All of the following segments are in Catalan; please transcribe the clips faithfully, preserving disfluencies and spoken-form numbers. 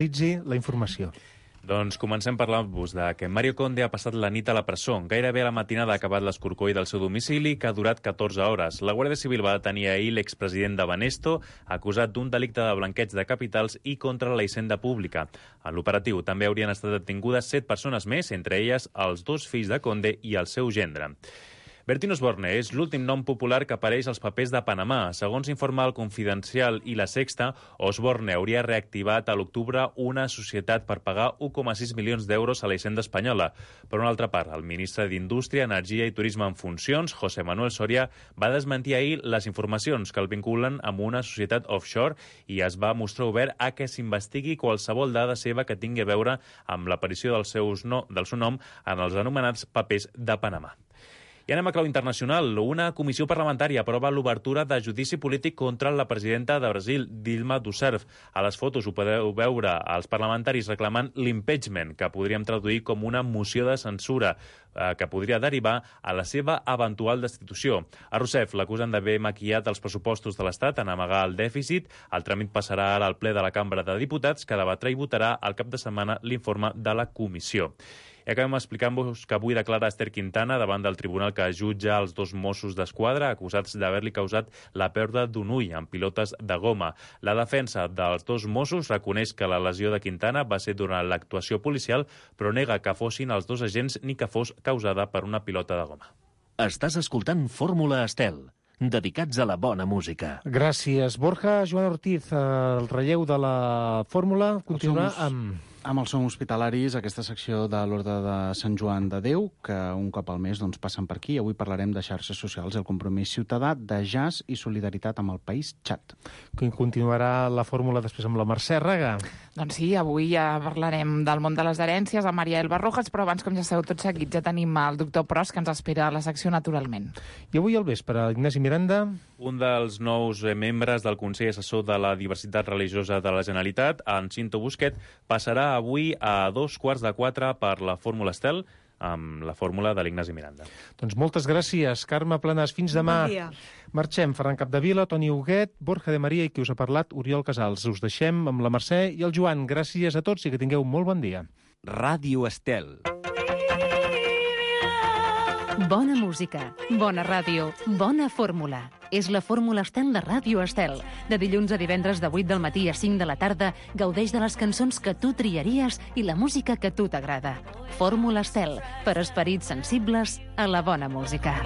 la informació. Doncs comencem parlant-vos de que Mario Conde ha passat la nit a la presó. Gairebé a la matinada ha acabat l'escorcoll del seu domicili, que ha durat catorze hores. La Guàrdia Civil va detenir ahir l'expresident de Banesto, acusat d'un delicte de blanqueig de capitals i contra la hisenda pública. En l'operatiu també haurien estat detingudes set persones més, entre elles els dos fills de Conde i el seu gendre. Bertín Osborne és l'últim nom popular que apareix als papers de Panamà. Segons informa el Confidencial i La Sexta, Osborne hauria reactivat a l'octubre una societat per pagar un coma sis milions d'euros a la hisenda espanyola. Per una altra part, el ministre d'Indústria, Energia i Turisme en funcions, José Manuel Soria, va desmentir ahir les informacions que el vinculen amb una societat offshore i es va mostrar obert a que s'investigui qualsevol dada seva que tingui a veure amb l'aparició del, seus no, del seu nom en els anomenats papers de Panamà. I anem a clau internacional. Una comissió parlamentària aprova l'obertura de judici polític contra la presidenta de Brasil, Dilma Rousseff. A les fotos ho podeu veure als parlamentaris reclamant l'impeachment, que podríem traduir com una moció de censura eh, que podria derivar a la seva eventual destitució. A Rousseff l'acusen d'haver maquillat els pressupostos de l'Estat en amagar el dèficit. El tràmit passarà ara al ple de la Cambra de Diputats, que debatrà i votarà al cap de setmana l'informe de la comissió. I acabem explicant-vos que avui declara Esther Quintana davant del tribunal que jutja els dos Mossos d'Esquadra acusats d'haver-li causat la pèrdua d'un ull amb pilotes de goma. La defensa dels dos Mossos reconeix que la lesió de Quintana va ser durant l'actuació policial, però nega que fossin els dos agents ni que fos causada per una pilota de goma. Estàs escoltant Fórmula Estel, dedicats a la bona música. Gràcies, Borja. Joan Ortiz, el relleu de la fórmula continuarà amb... Amb els som hospitalaris, aquesta secció de l'Orde de Sant Joan de Déu, que un cop al mes doncs, passen per aquí. Avui parlarem de xarxes socials, el compromís ciutadà, de jazz i solidaritat amb el país Txad. Continuarà la fórmula després amb la Mercè Raga. Doncs sí, avui ja parlarem del món de les herències amb Maria Elba Rojas, però abans, com ja sabeu tot seguit, ja tenim el doctor Pros, que ens espera a la secció Naturalment. I avui al vespre, Ignasi Miranda... Un dels nous membres del Consell Assessor de la Diversitat Religiosa de la Generalitat, en Cinto Busquet, passarà avui a dos quarts de quatre per la Fórmula Estel, amb la fórmula de l'Ignasi Miranda. Doncs moltes gràcies, Carme Planas. Fins demà. Bon dia. Marxem. Ferran Capdevila, Toni Huguet, Borja de Maria i qui us ha parlat, Oriol Casals. Us deixem amb la Mercè i el Joan. Gràcies a tots i que tingueu molt bon dia. Ràdio Estel. Bona música, bona ràdio, bona fórmula. És la Fórmula Estel de Ràdio Estel. De dilluns a divendres de vuit del matí a cinc de la tarda, gaudeix de les cançons que tu triaries i la música que a tu t'agrada. Fórmula Estel, per esperits sensibles a la bona música.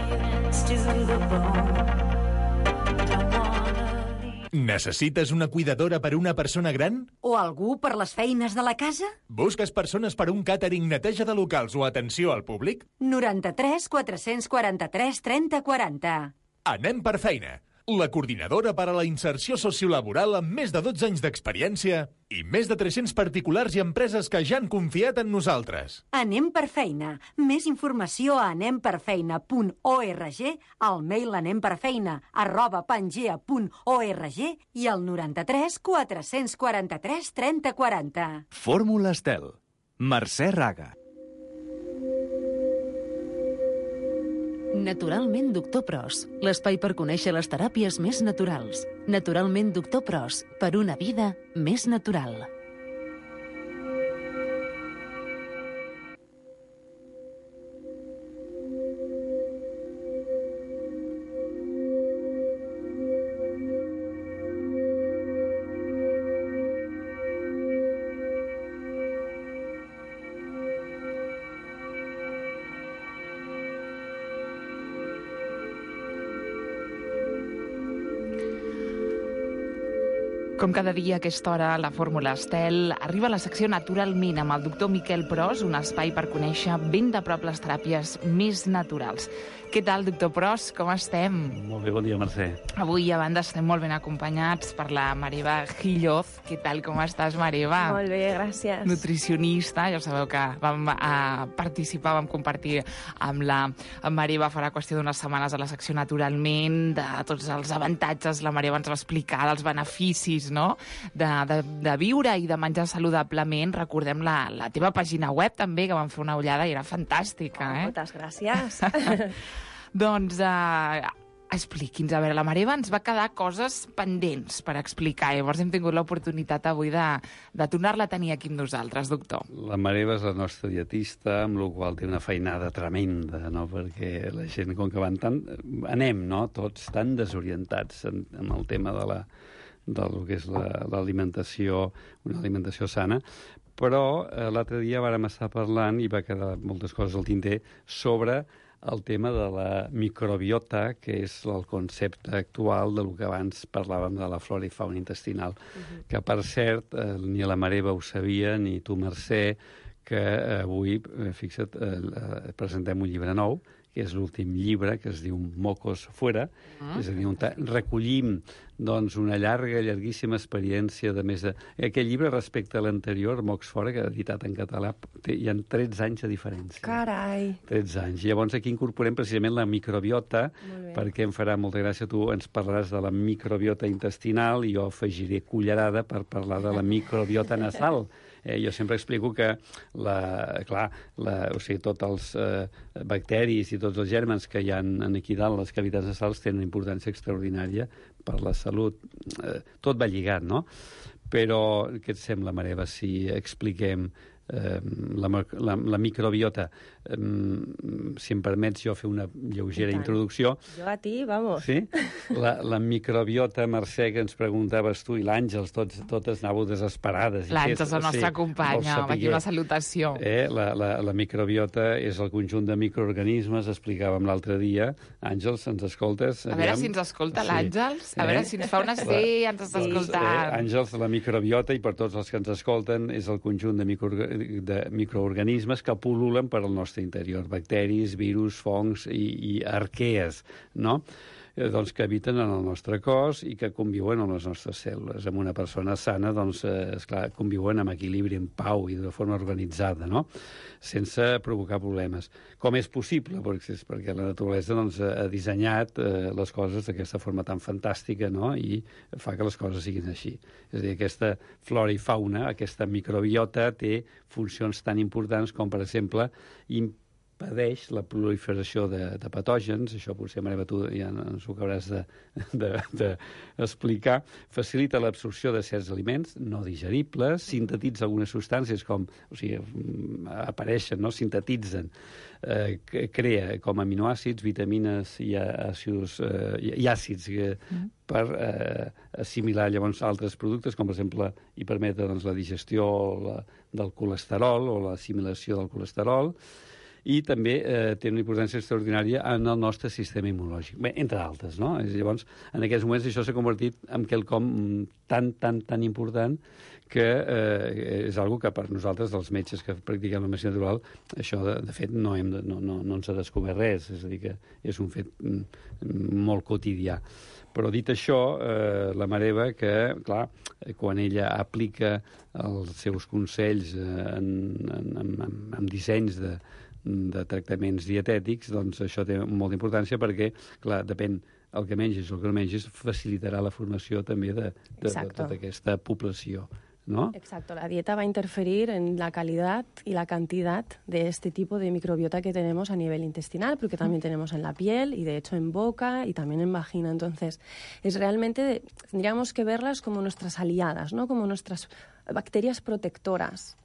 Necessites una cuidadora per una persona gran? O algú per les feines de la casa? Busques persones per un càtering, neteja de locals o atenció al públic? noranta-tres quatre-cents quaranta-tres trenta quaranta. Anem per feina. La coordinadora per a la inserció sociolaboral amb més de dotze anys d'experiència i més de tres-cents particulars i empreses que ja han confiat en nosaltres. Anem per feina. Més informació a anem per feina punt org, al mail anemperfeina arroba pangea punt org i al noranta-tres quatre-cents quaranta-tres trenta quaranta. Fórmula Estel. Mercè Raga. Naturalment Doctor Pros, l'espai per conèixer les teràpies més naturals. Naturalment Doctor Pros, per una vida més natural. Com cada dia a aquesta hora, la Fórmula Estel arriba a la secció Naturalment amb el doctor Miquel Pros, un espai per conèixer ben de prop les teràpies més naturals. Què tal, doctor Pros? Com estem? Molt bé, bon dia, Mercè. Avui, a banda, estem molt ben acompanyats per la Marieva Gilloz. Què tal, com estàs, Marieva? Molt bé, gràcies. Nutricionista, ja sabeu que vam uh, participar, vam compartir amb la Marieva farà qüestió d'unes setmanes a la secció Naturalment, de tots els avantatges, la Marieva ens va explicar dels beneficis, no? de, de, de viure i de menjar saludablement. Recordem la, la teva pàgina web també, que vam fer una ullada i era fantàstica. Eh? Moltes gràcies. Doncs uh, expliqui'ns. A veure, la Mare Eva ens va quedar coses pendents per explicar. Llavors hem tingut l'oportunitat avui de, de tornar-la a tenir aquí amb nosaltres, doctor. La Mare Eva és la nostra dietista, amb la qual té una feinada tremenda, no? Perquè la gent, com que van tan... anem, no?, tots tan desorientats en, en el tema de la del que és l'alimentació, la, una alimentació sana, però eh, l'altre dia vàrem estar parlant i va quedar moltes coses al tinter sobre el tema de la microbiota, que és el concepte actual del que abans parlàvem de la flora i fauna intestinal. Uh-huh. Que, per cert, eh, ni la Mare Eva ho sabia, ni tu, Mercè, que eh, avui, eh, fixa't, eh, presentem un llibre nou, que és l'últim llibre, que es diu Mocos Fuera, uh-huh. És a dir, on recollim doncs, una llarga, llarguíssima experiència de més de... Aquest llibre, respecte a l'anterior, Mocs Fora, que ha editat en català, té, hi ha tretze anys de diferència. Carai! tretze anys. Llavors aquí incorporem precisament la microbiota, perquè em farà molta gràcia, tu ens parlaràs de la microbiota intestinal i jo afegiré cullerada per parlar de la microbiota nasal. Eh, jo sempre explico que la, clar, la, o sigui, tots els eh, bacteris i tots els gèrmens que hi ha aquí dalt, les cavitats nasals, tenen una importància extraordinària per la salut. Eh, tot va lligat, no? Però què et sembla, Mare Eva, si expliquem eh, la, la, la microbiota? Eh, si em permets jo fer una lleugera introducció. Jo a ti, vamos. Sí? La, la microbiota, Mercè, que ens preguntaves tu, i l'Àngels, tots, totes anàveu desesperades. L'Àngels, la nostra sí, companya, amb aquí una salutació. Eh, la, la, la microbiota és el conjunt de microorganismes, explicàvem l'altre dia. Àngels, ens escoltes? A veure si ens escolta l'Àngels, a veure si ens fa una sí, ens està escoltant. Eh, Àngels, la microbiota, i per tots els que ens escolten, és el conjunt de, micro, de microorganismes que pul·lulen per al nostre interior, bacteris, virus, fongs i, i arquees, no? Eh, doncs que habiten en el nostre cos i que conviuen amb les nostres cèl·lules. Amb una persona sana, doncs, eh, esclar, conviuen amb equilibri, en pau i de forma organitzada, no? Sense provocar problemes. Com és possible? Perquè, perquè la naturalesa doncs, ha dissenyat eh, les coses d'aquesta forma tan fantàstica, no? I fa que les coses siguin així. És a dir, aquesta flora i fauna, aquesta microbiota, té funcions tan importants com, per exemple, impedeix la proliferació de, de patògens, això potser, Mare Eva, tu ja ens ho acabaràs d'explicar, de, de facilita l'absorció de certs aliments no digeribles, sintetitza algunes substàncies com, o sigui, apareixen, no? Sintetitzen, eh, crea com aminoàcids, vitamines i àcids, eh, i àcids que, mm. per eh, assimilar llavors altres productes, com per exemple i permetre doncs, la digestió la, del colesterol o l'assimilació del colesterol, i també eh, té una importància extraordinària en el nostre sistema immunològic, bé, entre altres, no? Llavors, en aquests moments això s'ha convertit en quelcom tan, tan, tan important que eh, és algo que per nosaltres, els metges que practiquem la medicina natural, això, de, de fet, no, hem de, no, no, no ens ha descobert res, és a dir, que és un fet molt quotidià. Però dit això, eh, la Mare Eva, que, clar, quan ella aplica els seus consells en, en, en, en, en dissenys de, de tractaments dietètics, doncs això té molta importància perquè, clar, depèn el que mengis o el que no mengis, facilitarà la formació també de, de, de tota aquesta població, ¿no? Exacto, la dieta va a interferir en la calidad y la cantidad de este tipo de microbiota que tenemos a nivel intestinal, porque también tenemos en la piel y de hecho en boca y también en vagina. Entonces, es realmente, tendríamos que verlas como nuestras aliadas, ¿no? Como nuestras bacterias protectoras.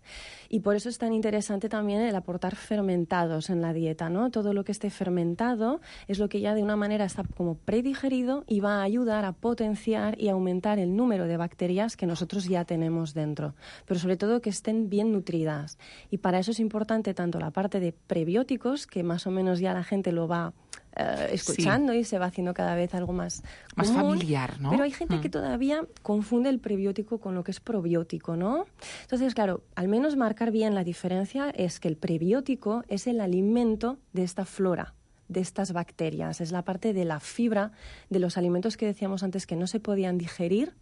Y por eso es tan interesante también el aportar fermentados en la dieta, ¿no? Todo lo que esté fermentado es lo que ya de una manera está como predigerido y va a ayudar a potenciar y aumentar el número de bacterias que nosotros ya tenemos dentro. Pero sobre todo que estén bien nutridas. Y para eso es importante tanto la parte de prebióticos, que más o menos ya la gente lo va Uh, escuchando sí. Y se va haciendo cada vez algo más más común, familiar, ¿no? Pero hay gente mm. que todavía confunde el prebiótico con lo que es probiótico, ¿no? Entonces, claro, al menos marcar bien la diferencia es que el prebiótico es el alimento de esta flora, de estas bacterias, es la parte de la fibra de los alimentos que decíamos antes que no se podían digerir,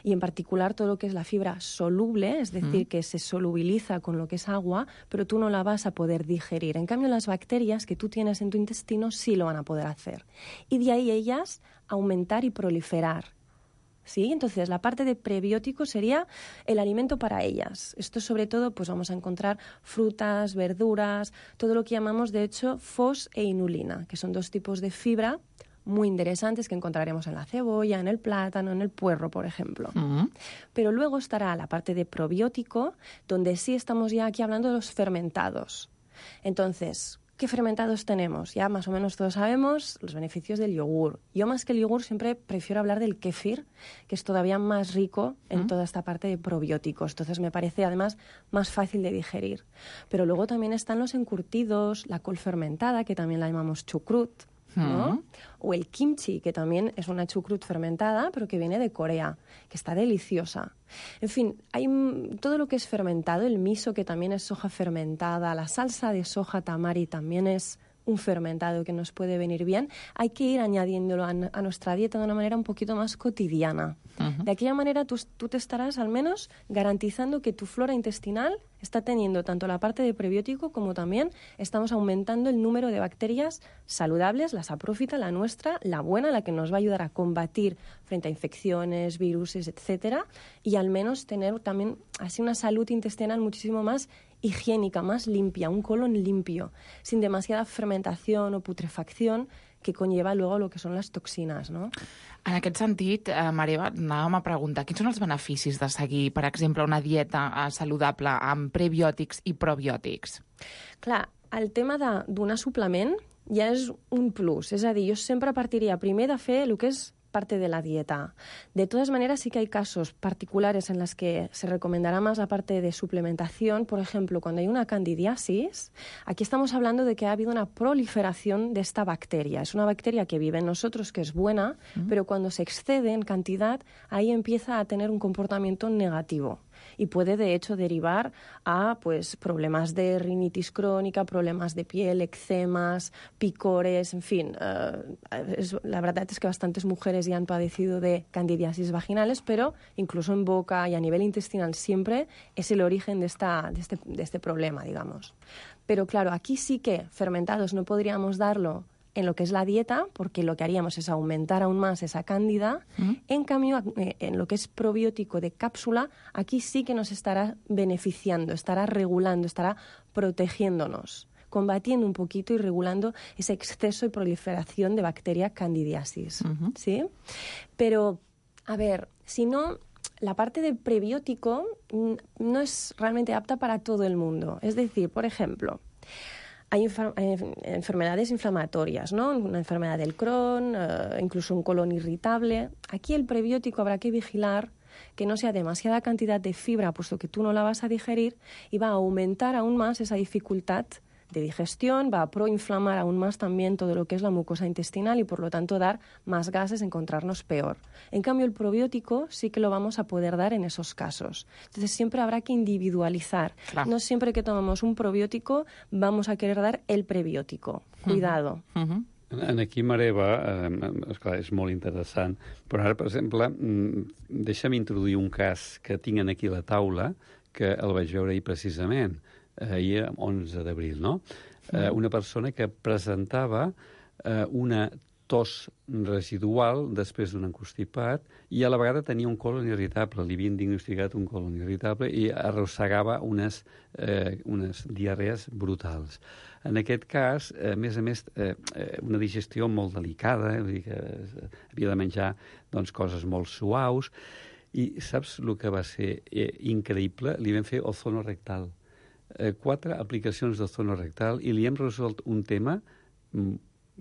y en particular todo lo que es la fibra soluble, es decir, mm. que se solubiliza con lo que es agua, pero tú no la vas a poder digerir. En cambio, las bacterias que tú tienes en tu intestino sí lo van a poder hacer. Y de ahí ellas aumentar y proliferar. ¿Sí? Entonces, la parte de prebiótico sería el alimento para ellas. Esto, sobre todo, pues vamos a encontrar frutas, verduras, todo lo que llamamos, de hecho, fos e inulina, que son dos tipos de fibra muy interesantes que encontraremos en la cebolla, en el plátano, en el puerro, por ejemplo. Mm. Pero luego estará la parte de probiótico, donde sí estamos ya aquí hablando de los fermentados. Entonces, ¿qué fermentados tenemos? Ya más o menos todos sabemos los beneficios del yogur. Yo más que el yogur siempre prefiero hablar del kéfir, que es todavía más rico en mm. toda esta parte de probióticos. Entonces me parece además más fácil de digerir. Pero luego también están los encurtidos, la col fermentada, que también la llamamos chucrut, ¿no? Mm. O el kimchi, que también es una chucrut fermentada, pero que viene de Corea, que está deliciosa. En fin, hay todo lo que es fermentado, el miso, que también es soja fermentada, la salsa de soja tamari también es un fermentado que nos puede venir bien. Hay que ir añadiéndolo a, a nuestra dieta de una manera un poquito más cotidiana. Uh-huh. De aquella manera tú, tú te estarás al menos garantizando que tu flora intestinal está teniendo tanto la parte de prebiótico como también estamos aumentando el número de bacterias saludables, la saprófita, la nuestra, la buena, la que nos va a ayudar a combatir frente a infecciones, virus, etcétera, y al menos tener también así una salud intestinal muchísimo más higiénica, más limpia, un colon limpio, sin demasiada fermentación o putrefacción que conlleva luego lo que són les toxines, no? En aquest sentit, eh, Maria, anàvem a preguntar, quins són els beneficis de seguir, per exemple, una dieta eh, saludable amb prebiòtics i probiòtics? Clar, el tema de donar suplement ja és un plus, és a dir, jo sempre partiria primer de fer el que és parte de la dieta. De todas maneras, sí que hay casos particulares en los que se recomendará más la parte de suplementación. Por ejemplo, cuando hay una candidiasis, aquí estamos hablando de que ha habido una proliferación de esta bacteria. Es una bacteria que vive en nosotros, que es buena, mm. pero cuando se excede en cantidad, ahí empieza a tener un comportamiento negativo. Y puede, de hecho, derivar a pues, problemas de rinitis crónica, problemas de piel, eczemas, picores, en fin. Uh, es, la verdad es que bastantes mujeres ya han padecido de candidiasis vaginales, pero incluso en boca y a nivel intestinal siempre es el origen de, esta, de, este, de este problema, digamos. Pero claro, aquí sí que fermentados no podríamos darlo en lo que es la dieta, porque lo que haríamos es aumentar aún más esa cándida. Mm. En cambio, en lo que es probiótico de cápsula, aquí sí que nos estará beneficiando, estará regulando, estará protegiéndonos, combatiendo un poquito y regulando ese exceso y proliferación de bacteria candidiasis. Uh-huh. ¿Sí? Pero, a ver, si no, la parte de prebiótico no es realmente apta para todo el mundo. Es decir, por ejemplo, hay enfermedades inflamatorias, ¿no? Una enfermedad del Crohn, uh, incluso un colon irritable. Aquí el prebiótico habrá que vigilar que no sea demasiada cantidad de fibra, puesto que tú no la vas a digerir, y va a aumentar aún más esa dificultad de digestión, va a proinflamar aún más también todo lo que es la mucosa intestinal y por lo tanto dar más gases, encontrarnos peor. En cambio, el probiótico sí que lo vamos a poder dar en esos casos. Entonces siempre habrá que individualizar. Claro. No siempre que tomamos un probiótico vamos a querer dar el prebiótico. Cuidado. Uh-huh. Uh-huh. En aquí, Mareva, eh, esclar, és molt interessant, però ara, per exemple, deixa'm introduir un cas que tinc aquí a la taula, que el vaig veure ahir precisament, ahir, onze d'abril, no? Eh, una persona que presentava eh, una tos residual després d'un encostipat i a la vegada tenia un colon irritable. Li havien diagnosticat un colon irritable i arrossegava unes, eh, unes diarrees brutals. En aquest cas, a més a més, eh, una digestió molt delicada, eh, vull dir que havia de menjar doncs, coses molt suaus, i saps el que va ser eh, increïble? Li vam fer ozono rectal. Eh, quatre aplicacions d'ozono rectal i li hem resolt un tema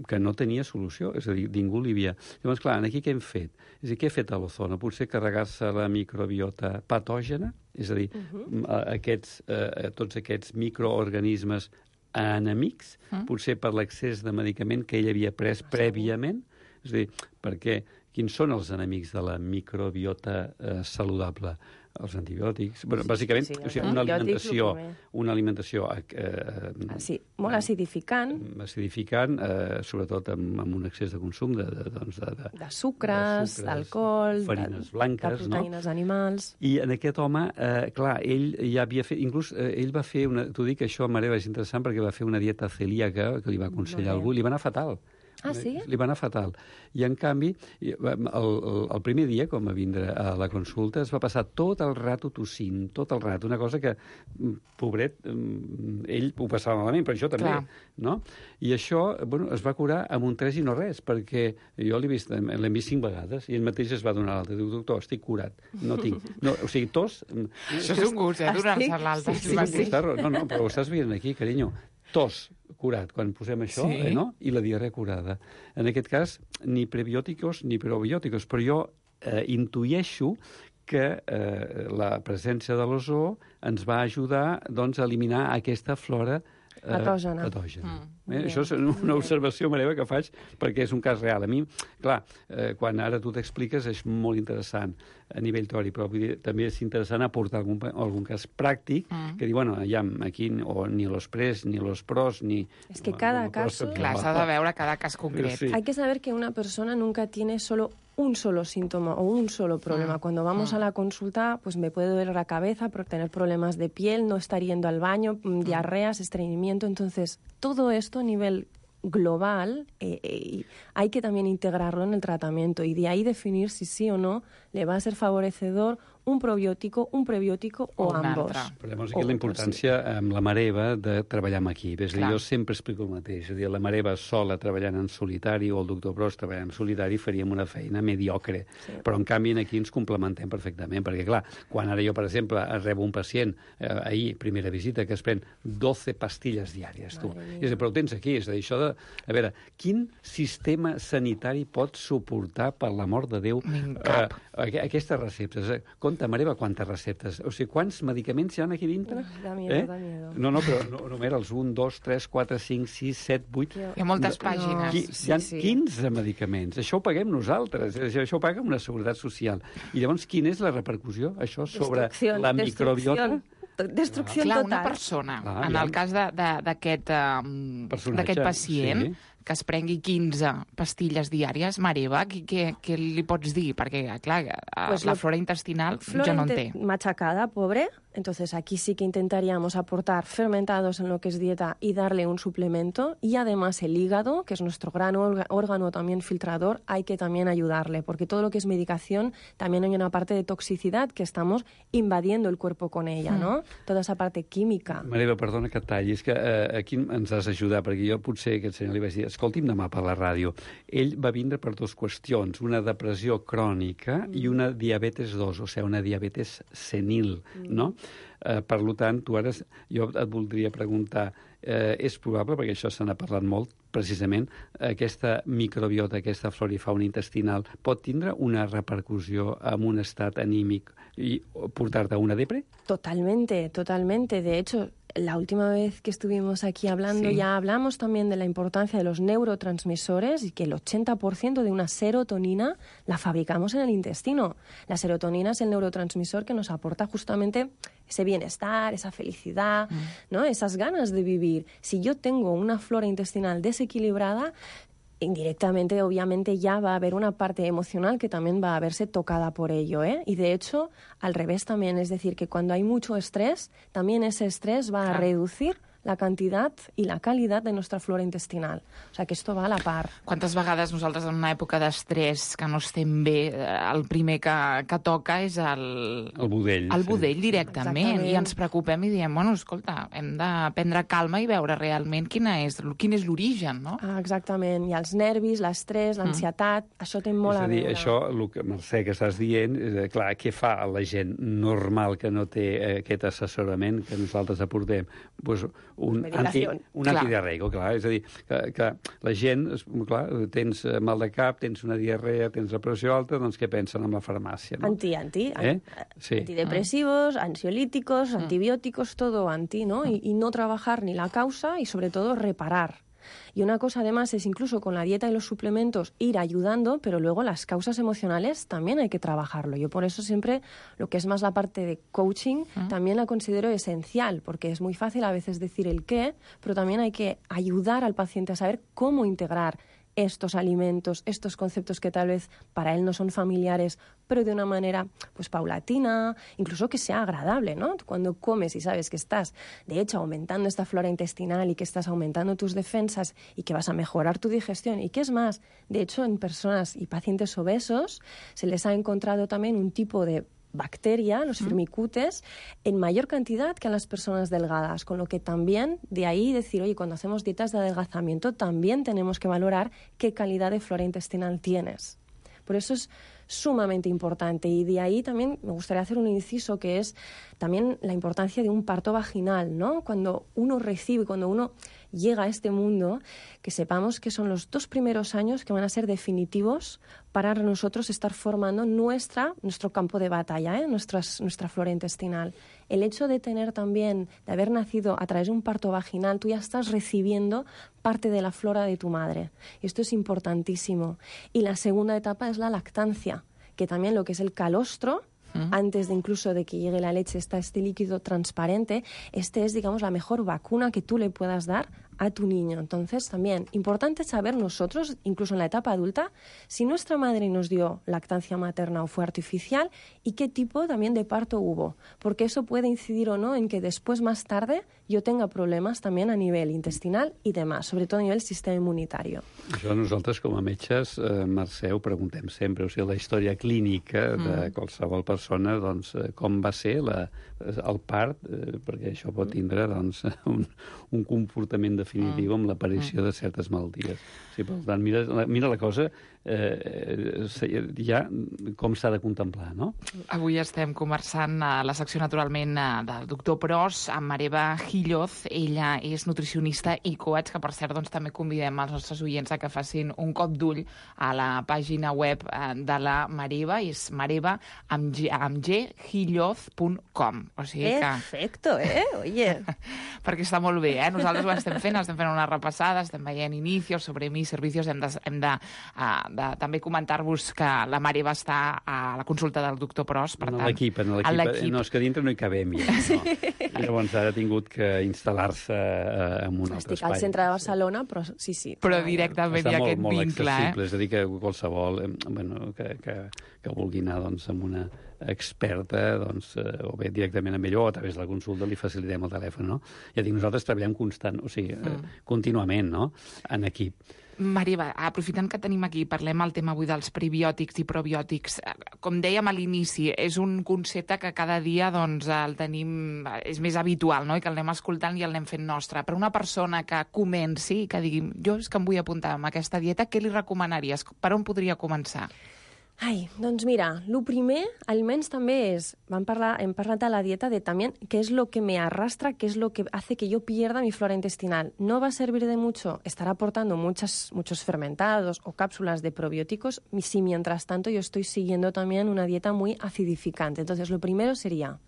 que no tenia solució, és a dir, ningú li havia... Llavors, clar, aquí què hem fet? És a dir, què ha fet a l'ozono? Potser carregar-se la microbiota patògena, és a dir, uh-huh. aquests, eh, tots aquests microorganismes enemics, uh-huh. potser per l'excés de medicament que ell havia pres prèviament, és a dir, perquè quins són els enemics de la microbiota eh, saludable? Els antibiòtics, bueno, bàsicament, sí, sí, o sigui, una alimentació, una alimentació eh, sí, molt acidificant, acidificant, eh, sobretot amb, amb un excés de consum de, de, doncs de, de, de sucres, d'alcohol, farines blanques, de proteïnes no? animals. I en aquest home, eh, clar, ell ja havia fet, inclús eh, ell va fer una, t'ho dic, això a Mareva és interessant perquè va fer una dieta celíaca que li va aconsellar algú, li va anar fatal. Ah, sí? Li va anar fatal. I, en canvi, el, el, el primer dia, com va vindre a la consulta, es va passar tot el rato tossint, tot el rato, una cosa que, pobret, ell ho passava malament, però això també, Clar. no? I això, bueno, es va curar amb un tres i no res, perquè jo l'he vist, l'hem vist cinc vegades, i ell mateix es va donar l'alta. Diu, doctor, estic curat, no tinc... No, o sigui, tos... Això és un gust, eh, donar-se l'alta. Sí, sí, sí. No, no, però ho estàs veient aquí, carinyo. Tos curat, quan posem això, sí. eh, no? I la diarrea curada. En aquest cas, ni prebiòticos ni probiòticos, però jo eh, intueixo que eh, la presència de l'ozó ens va ajudar doncs, a eliminar aquesta flora eh, patògena. patògena. Mm. Eh? Això és una observació meva que faig perquè és un cas real. A mi, clar, eh, quan ara tu t'expliques és molt interessant a nivell teòric, però vull dir, també és interessant aportar algun, algun cas pràctic mm. que diu, bueno, ja aquí o ni los pres, ni los pros, ni... Es que cada caso... Clar, s'ha de veure cada cas concret. Sí. Hay que saber que una persona nunca tiene solo un solo síntoma o un solo problema. Mm. Cuando vamos mm. a la consulta, pues me puede doler la cabeza por tener problemas de piel, no estar yendo al baño, mm. diarreas, estreñimiento. Entonces, todo esto a nivel global eh, eh, hay que también integrarlo en el tratamiento y de ahí definir si sí o no le va a ser favorecedor un probiòtico, un prebiòtico o, o ambos. Però llavors aquí la importància amb la mareva de treballar amb equip. És a dir, jo sempre explico el mateix. És a dir, la mareva sola treballant en solitari o el doctor Pros treballant en solitari faríem una feina mediocre. Sí. Però en canvi aquí ens complementem perfectament, perquè clar, quan ara jo, per exemple, rebo un pacient eh, ahir, primera visita, que es pren doce pastilles diàries, tu. És a dir, però ho tens aquí. És a dir, això de... A veure, quin sistema sanitari pot suportar, per l'amor de Déu, eh, aquestes receptes? Compte, Mareva, quantes receptes. O sigui, quants medicaments hi ha aquí dintre? Uf, da miedo, eh? da miedo. No, no, però no, no mira, els un, dos, tres, quatre, cinc, sis, set, vuit... Hi ha moltes pàgines. Qui, sí, hi ha sí. quinze medicaments. Això ho paguem nosaltres. Això ho paga una seguretat social. I llavors, quina és la repercussió, això, sobre la microbiota? Destrucció Clar, total. una persona, ah, en ja. el cas d'aquest um, pacient, sí. que es prengui quinze pastilles diàries, mare Eva, què, què, què li pots dir? Perquè, clar, pues la flora intestinal flora ja no en té. Machacada, pobre. Entonces aquí sí que intentaríamos aportar fermentados en lo que es dieta y darle un suplemento. Y además el hígado, que es nuestro gran órgano también filtrador, hay que también ayudarle, porque todo lo que es medicación también hay una parte de toxicidad que estamos invadiendo el cuerpo con ella, mm. ¿no? Toda esa parte química. Mareva, perdona que et talli, és que eh, aquí ens has d'ajudar, perquè jo potser aquest senyor li vaig dir, escolti'm demà per la ràdio. Ell va vindre per dues qüestions, una depressió crònica mm. i una diabetes dos, o sigui, una diabetes senil, mm. no? Eh, per tant, tu ara, jo et voldria preguntar, eh, és probable, perquè això se n'ha parlat molt, precisament, aquesta microbiota, aquesta flora i fauna intestinal, pot tindre una repercussió en un estat anímic i portar-te a una depre? Totalmente, totalmente. De hecho, la última vez que estuvimos aquí hablando sí. ya hablamos también de la importancia de los neurotransmisores y que el ochenta por ciento de una serotonina la fabricamos en el intestino. La serotonina es el neurotransmisor que nos aporta justamente ese bienestar, esa felicidad, mm. ¿no? Esas ganas de vivir. Si yo tengo una flora intestinal desequilibrada, indirectamente, obviamente, ya va a haber una parte emocional que también va a verse tocada por ello, ¿eh? Y de hecho, al revés también, es decir, que cuando hay mucho estrés, también ese estrés va a reducir la quantitat i la qualitat de nostra flora intestinal. O sigui, que esto va a la par. Quantes vegades nosaltres en una època d'estrès que no estem bé, el primer que, que toca és el... El budell. El budell, sí. directament. Exactament. I ens preocupem i diem, bueno, escolta, hem de prendre calma i veure realment quina és, quin és l'origen, no? Ah, exactament. I els nervis, l'estrès, l'ansietat, mm. això té molt és a, a dir, veure. Això, el que, Mercè, que estàs dient, és, clar, què fa la gent normal que no té eh, aquest assessorament que nosaltres aportem? Pues, un, anti, un antidiarreico, clar. És a dir, que, que la gent, clar, tens mal de cap, tens una diarrea, tens la pressió alta, doncs què pensen amb la farmàcia? ¿no? Anti, anti. ¿Eh? Sí. Antidepresivos, ansiolíticos, antibióticos, todo anti, ¿no? Y, y no trabajar ni la causa y sobre todo reparar. Y una cosa además es incluso con la dieta y los suplementos ir ayudando, pero luego las causas emocionales también hay que trabajarlo. Yo por eso siempre lo que es más la parte de coaching uh-huh. también la considero esencial, porque es muy fácil a veces decir el qué, pero también hay que ayudar al paciente a saber cómo integrar estos alimentos, estos conceptos que tal vez para él no son familiares, pero de una manera pues paulatina, incluso que sea agradable, ¿no? Cuando comes y sabes que estás, de hecho, aumentando esta flora intestinal y que estás aumentando tus defensas y que vas a mejorar tu digestión y que es más, de hecho, en personas y pacientes obesos se les ha encontrado también un tipo de bacteria, los firmicutes, en mayor cantidad que a las personas delgadas, con lo que también de ahí decir, oye, cuando hacemos dietas de adelgazamiento también tenemos que valorar qué calidad de flora intestinal tienes. Por eso es sumamente importante y de ahí también me gustaría hacer un inciso que es también la importancia de un parto vaginal, ¿no? Cuando uno recibe, cuando uno llega a este mundo, que sepamos que son los dos primeros años que van a ser definitivos para nosotros estar formando nuestra, nuestro campo de batalla, ¿eh? Nuestras, nuestra flora intestinal. El hecho de tener también, de haber nacido a través de un parto vaginal, tú ya estás recibiendo parte de la flora de tu madre. Esto es importantísimo. Y la segunda etapa es la lactancia, que también lo que es el calostro, uh-huh. antes de incluso de que llegue la leche, está este líquido transparente, este es, digamos, la mejor vacuna que tú le puedas dar a tu niño. Entonces, también, importante saber nosotros, incluso en la etapa adulta, si nuestra madre nos dio lactancia materna o fue artificial y qué tipo también de parto hubo, porque eso puede incidir o no en que después, más tarde, yo tenga problemes també a nivell intestinal i demás, sobretot a nivell sistema immunitari. Això nosaltres, com a metges, eh, Mercè, ho preguntem sempre, o sigui, la història clínica de mm. qualsevol persona, doncs, com va ser la, el part, eh, perquè això pot tindre doncs, un, un comportament definitiu amb l'aparició de certes malalties. Sí, per tant, mira, mira la cosa, eh, ja com s'ha de contemplar, no? Avui estem conversant a la secció, naturalment, del doctor Pros amb Mareva Gilloz. Ella és nutricionista i coach, que per cert doncs, també convidem els nostres oients a que facin un cop d'ull a la pàgina web de la Mareva, és mareva amb g, amb g gilloz punt com. O sigui que... Perfecto, eh? Oye. Perquè està molt bé, eh? Nosaltres ho estem fent, estem fent una repassada, estem veient inicios sobre mi servicios, hem de, hem de, uh, de també comentar-vos que la Mareva està a la consulta del doctor Pros, per en tant... L'equip, en l'equip. No, és que dintre no hi cabem ja. Sí. No. Llavors ara ha tingut que instal·lar-se uh, en un altre espai. Estic al centre de Barcelona, però sí, sí. Però directament hi ha aquest molt vincle, eh? accessible, és a dir, que qualsevol eh, bueno, que, que, que vulgui anar doncs, amb una experta, doncs, eh, o bé directament amb ell o a través de la consulta li facilitem el telèfon, no? Ja dic, nosaltres treballem constant, o sigui, mm. eh, contínuament, no?, en equip. Marieva, aprofitant que tenim aquí, parlem el tema avui dels prebiòtics i probiòtics. Com dèiem a l'inici, és un concepte que cada dia doncs, el tenim, és més habitual, no?, i que el anem escoltant i el anem fent nostre. Per una persona que comenci i que digui, jo és que em vull apuntar a aquesta dieta, què li recomanaries? Per on podria començar? Ai, doncs mira, el primer, almenys també és, vam parlar, hem parlat de la dieta de també qué es lo que me arrastra, qué es lo que hace que yo pierda mi flora intestinal. No va a servir de mucho estar aportando muchas, muchos fermentados o cápsulas de probióticos si mientras tanto yo estoy siguiendo también una dieta muy acidificante. Entonces, lo primero sería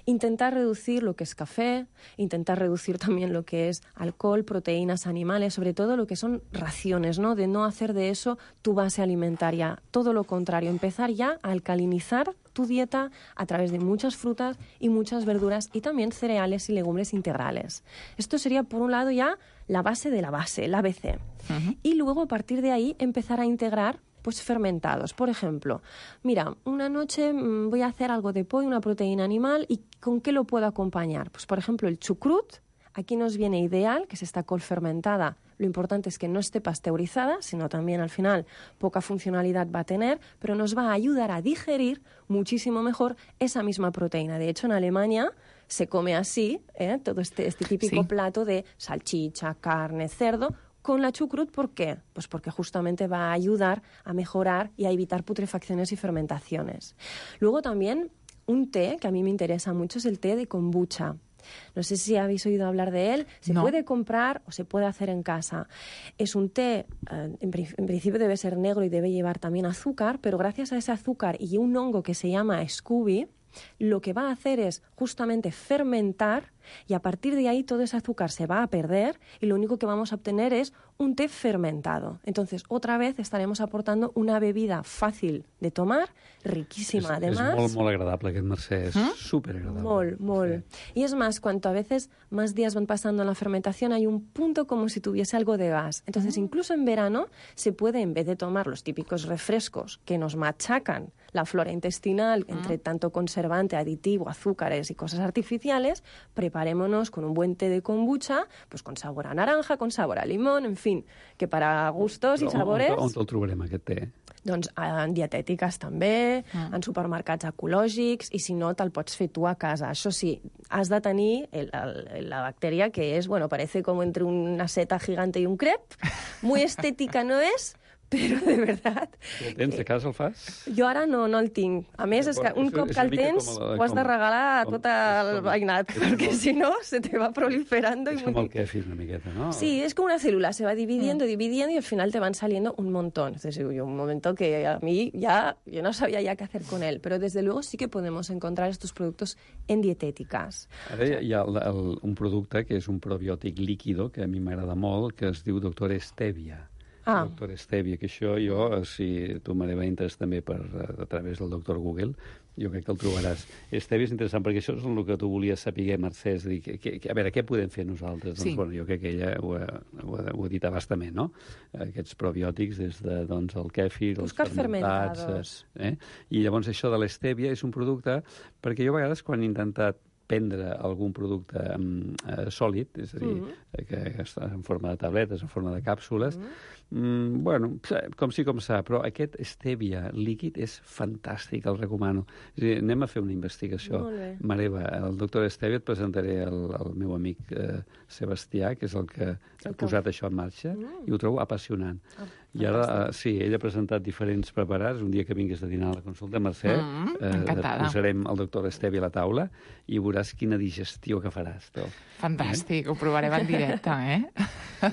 intentar reducir lo que es café, intentar reducir también lo que es alcohol, proteínas animales, sobre todo lo que son raciones, ¿no? De no hacer de eso tu base alimentaria. Todo lo contrario, empezar ya a alcalinizar tu dieta a través de muchas frutas y muchas verduras y también cereales y legumbres integrales. Esto sería, por un lado, ya la base de la base, el A B C. Uh-huh. Y luego, a partir de ahí, empezar a integrar pues fermentados. Por ejemplo, mira, una noche mmm, voy a hacer algo de pollo, una proteína animal, ¿y con qué lo puedo acompañar? Pues, por ejemplo, el chucrut. Aquí nos viene ideal, que es esta col fermentada. Lo importante es que no esté pasteurizada, sino también al final poca funcionalidad va a tener, pero nos va a ayudar a digerir muchísimo mejor esa misma proteína. De hecho, en Alemania se come así, ¿eh? Todo este, este típico sí. plato de salchicha, carne, cerdo, con la chucrut. ¿Por qué? Pues porque justamente va a ayudar a mejorar y a evitar putrefacciones y fermentaciones. Luego también un té que a mí me interesa mucho es el té de kombucha. No sé si habéis oído hablar de él. Se no. puede comprar o se puede hacer en casa. Es un té, eh, en, en principio debe ser negro y debe llevar también azúcar, pero gracias a ese azúcar y un hongo que se llama Scooby, lo que va a hacer es justamente fermentar y a partir de ahí todo ese azúcar se va a perder y lo único que vamos a obtener es un té fermentado. Entonces, otra vez estaremos aportando una bebida fácil de tomar, riquísima es, además. És molt, molt agradable aquest Mercè, és ¿Mm? superagradable. Molt, molt. Sí. Y es más, cuanto a veces más días van pasando en la fermentación, hay un punto como si tuviese algo de gas. Entonces, mm. incluso en verano se puede, en vez de tomar los típicos refrescos que nos machacan la flora intestinal, mm. entre tanto conservante, aditivo, azúcares y cosas artificiales, preparémonos con un buen té de kombucha, pues con sabor a naranja, con sabor a limón, en fin, que para gustos i sabores... On, on te'l trobarem, aquest té? Doncs en dietètiques també, mm. en supermercats ecològics, i si no, te'l pots fer tu a casa. Això sí, has de tenir el, el, la bacteria que és, bueno, parece como entre una seta gigante y un crepe. Muy estética no és, però de veritat... El tens a casa, el fas? Jo ara no, no el tinc. A més, és que un cop que el tens ho has de regalar a tot el veïnat, perquè si no se te va proliferando. És com el kefir una miqueta, ¿no? Sí, es como una célula, se va dividiendo, mm. dividiendo y al final te van saliendo un montón. Entonces, hay un momento que a mí ya, yo no sabía ya qué hacer con él, pero desde luego sí que podemos encontrar estos productos en dietéticas. Ara hi ha el, el, un producte que és un probiòtic líquido, que a mi m'agrada molt, que es diu Doctor Stevia. Ah. Doctor Stevia, que això jo, si tu, Mareva, entres també per, a través del doctor Google, jo crec que el trobaràs. Stevia és interessant, perquè això és el que tu volies saber, Mercè, és dir, que, que, a veure, què podem fer nosaltres? Sí. Doncs, bueno, jo crec que ella ho ha, ho ha, ho ha dit abastament, no? Aquests probiòtics, des de, doncs, el kèfir, els fermentats... Eh? I llavors això de l'Stevia és un producte, perquè jo a vegades quan he intentat prendre algun producte eh, sòlid, és a dir, mm-hmm. que està en forma de tabletes, en forma de càpsules, mm-hmm. mm, bueno, com sí com s'ha, però aquest Stevia líquid és fantàstic, el recomano. És a dir, anem a fer una investigació. Mareva, el doctor Stevia, et presentaré el, el meu amic eh, Sebastià, que és el que ha posat això en marxa, mm. i ho trobo apassionant. Oh. I ara, uh, sí, ell ha presentat diferents preparats. Un dia que vinguis de dinar a la consulta, Mercè, mm, eh, posarem el doctor Stevia a la taula i veuràs quina digestió que faràs. Tu. Fantàstic, eh? Ho provarem en directe, eh?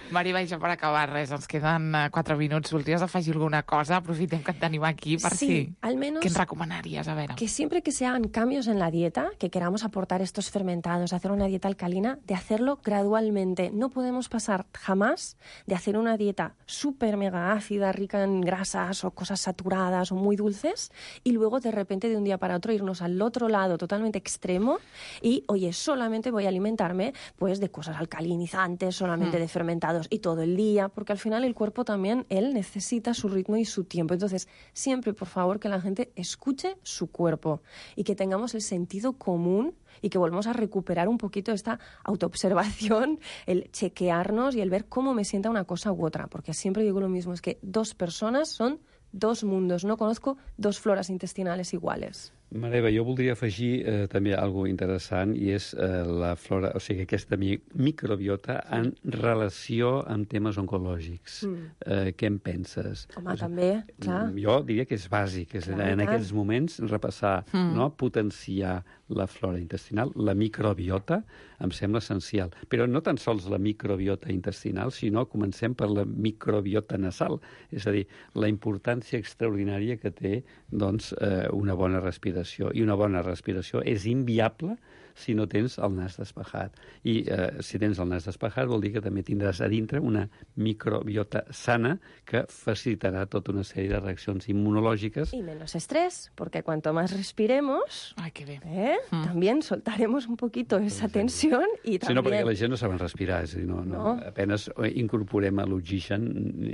Mariva, i ja per acabar, res, ens queden quatre minuts. Voldries afegir alguna cosa? Aprofitem que et tenim aquí per sí, si... al menos ¿Qué recomendarías? A ver. Que siempre que se hagan cambios en la dieta, que queramos aportar estos fermentados, hacer una dieta alcalina, de hacerlo gradualmente. No podemos pasar jamás de hacer una dieta súper mega ácida, rica en grasas o cosas saturadas o muy dulces, y luego de repente de un día para otro irnos al otro lado totalmente extremo y, oye, solamente voy a alimentarme pues de cosas alcalinizantes, solamente mm. de fermentados y todo el día, porque al final el cuerpo también, él necesita su ritmo y su tiempo. Entonces, siempre, por favor, que la gente escuche su cuerpo y que tengamos el sentido común y que volvamos a recuperar un poquito esta autoobservación, el chequearnos y el ver cómo me sienta una cosa u otra, porque siempre digo lo mismo, es que dos personas son dos mundos, no conozco dos floras intestinales iguales. Mareva, jo voldria afegir eh, també algo interessant, i és eh, la flora, o sigui, aquesta mi microbiota en relació amb temes oncològics. Mm. Eh, què en penses? Home, o sigui, també, clar. Jo diria que és bàsic, és clar, en aquests moments repassar, mm. no, potenciar la flora intestinal, la microbiota, em sembla essencial. Però no tan sols la microbiota intestinal, sinó comencem per la microbiota nasal, és a dir, la importància extraordinària que té, doncs, eh, una bona respiració. I una bona respiració és inviable si no tens el nas despejat. I eh, si tens el nas despejat vol dir que també tindràs a dintre una microbiota sana que facilitarà tota una sèrie de reaccions immunològiques. Y menos estrés, porque cuanto más respiremos, Ay, qué bien. ¿eh? Mm. también soltaremos un poquito esa tensión y también... Sí, no, perquè la gent no saben respirar, és a dir, no, no, no. apenas incorporem l'oxigen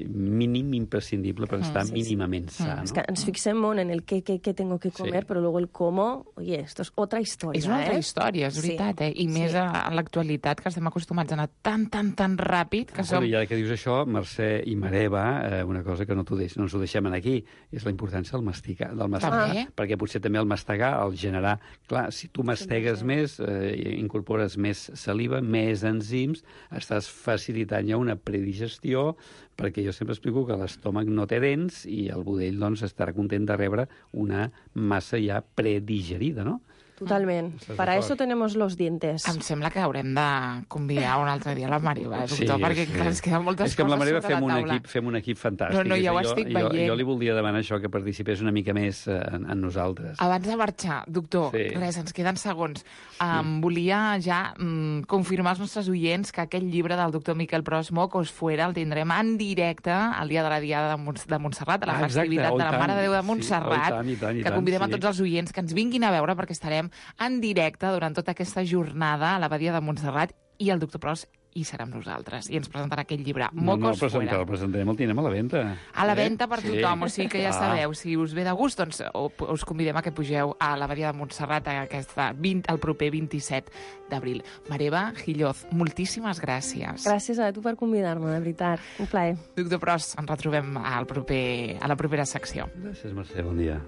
mínim imprescindible per estar mm, sí, mínimament sí. sa. Mm. No? Es que ens fixem molt en el què, què, què tengo que comer, sí. però luego el cómo, oye, esto es otra historia. És una altra eh? història, és veritat, sí. eh? I més sí. a, a l'actualitat, que estem acostumats a anar tan, tan, tan ràpid, que som... I ara que dius això, Mercè i Mareva, eh, una cosa que no, deix, no ens ho deixem aquí, és la importància del masticar, del mastegar, ah. perquè potser també el mastegar, el generar... Clar, si tu mastegues sí, més, eh, incorpores més saliva, més enzims, estàs facilitant ja una predigestió, perquè jo sempre explico que l'estómac no té dents i el budell doncs, estarà content de rebre una massa ja predigerida, no? Totalment. Para eso tenemos los dientes. Em sembla que haurem de convidar un altre dia la Mariva, eh, doctor, Sí, perquè sí. clar, ens queden moltes És que amb la coses Mariva sobre fem la un, taula. equip, fem un equip fantàstic. No, no, ja ho jo, estic jo, veient. Jo li voldria demanar això, que participés una mica més eh, en, en nosaltres. Abans de marxar, doctor, Sí. res, ens queden segons. Um, volia ja um, confirmar als nostres oients que aquell llibre del doctor Miquel Pros, Mocos Fuera, el tindrem en directe el dia de la Diada de, Mont de Montserrat, a la Ah, exacte, festivitat oh, de la tant. Mare de Déu de Sí, Montserrat, oh, i tant, i tant, i que tant, convidem sí. a tots els oients que ens vinguin a veure perquè estarem en directe durant tota aquesta jornada a l'Abadia de Montserrat i el doctor Pros hi serà amb nosaltres i ens presentarà aquell llibre, No, no, el Mocos presentarem, Fuera. el presentarem, el tindrem a la venda. A la Eh? venda per Sí. tothom, o sigui que ja Ah. sabeu, si us ve de gust, doncs o- us convidem a que pugeu a l'Abadia de Montserrat aquesta vint, el proper vint-i-set d'abril. Mareva Gilloz, moltíssimes gràcies. Gràcies a tu per convidar-me, de veritat. Un plaer. Doctor Pros, ens retrobem al proper, a la propera secció. Gràcies, Mercè, bon dia.